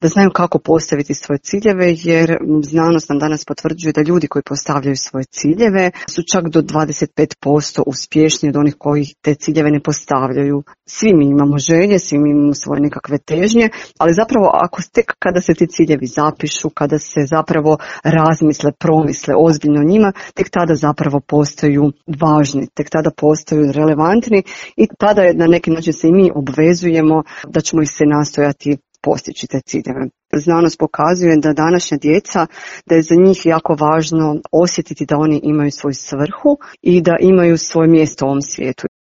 da znaju kako postaviti svoje ciljeve, jer znanost nam danas potvrđuje da ljudi koji postavljaju svoje ciljeve su čak do 25% uspješniji od onih koji te ciljeve ne postavljaju. Svi mi imamo želje, svi mi imamo svoje nekakve težnje, ali zapravo tek kada se ti ciljevi zapišu, kada se zapravo razmisle, promisle ozbiljno o njima, tek tada zapravo postaju važni, tek tada postaju relevantni i tada na neki način se i mi obvezujemo da ćemo ih se nastojati postići te ciljeve. Znanost pokazuje da današnja djeca, da je za njih jako važno osjetiti da oni imaju svoju svrhu i da imaju svoje mjesto u ovom svijetu.